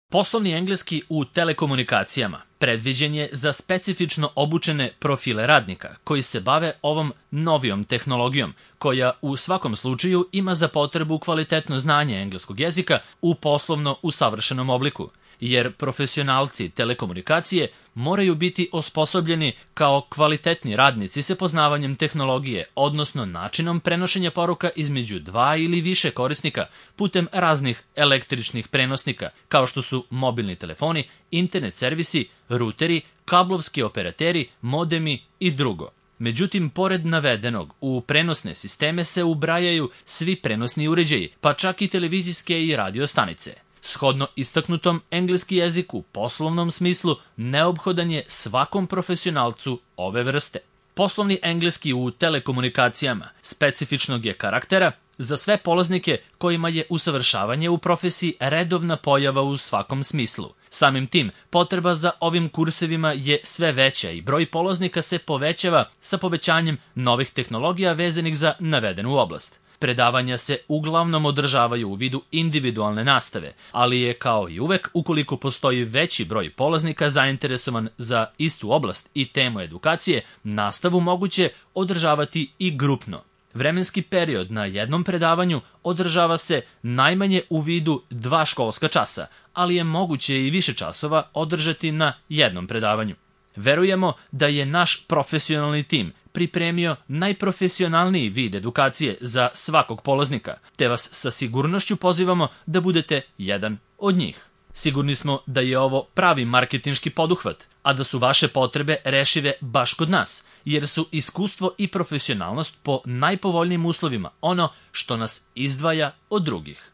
Poslovni engleski u telekomunikacijama predviđen je za specifično obučene profile radnika koji se bave ovom novijom tehnologijom, koja u svakom slučaju ima za potrebu kvalitetno znanje engleskog jezika u poslovno usavršenom obliku, jer profesionalci telekomunikacije moraju biti osposobljeni kao kvalitetni radnici sa poznavanjem tehnologije, odnosno načinom prenošenja poruka između dva ili više korisnika putem raznih električnih prenosnika, kao što su mobilni telefoni, internet servisi, ruteri, kablovski operateri, modemi i drugo. Međutim, pored navedenog, u prenosne sisteme se ubrajaju svi prenosni uređaji, pa čak i televizijske i radio stanice. Shodno istaknutom, engleski jezik u poslovnom smislu neophodan je svakom profesionalcu ove vrste. Poslovni engleski u telekomunikacijama specifičnog je karaktera za sve polaznike kojima je usavršavanje u profesiji redovna pojava u svakom smislu. Samim tim, potreba za ovim kursevima je sve veća i broj polaznika se povećava sa povećanjem novih tehnologija vezanih za navedenu oblast. Predavanja se uglavnom održavaju u vidu individualne nastave, ali je kao i uvek, ukoliko postoji veći broj polaznika zainteresovan za istu oblast i temu edukacije, nastavu moguće održavati i grupno. Vremenski period na jednom predavanju održava se najmanje u vidu 2 školska časa, ali je moguće i više časova održati na jednom predavanju. Verujemo da je naš profesionalni tim pripremio najprofesionalniji vid edukacije za svakog polaznika, te vas sa sigurnošću pozivamo da budete jedan od njih. Sigurni smo da je ovo pravi marketinški poduhvat, a da su vaše potrebe rešive baš kod nas, jer su iskustvo i profesionalnost po najpovoljnijim uslovima ono što nas izdvaja od drugih.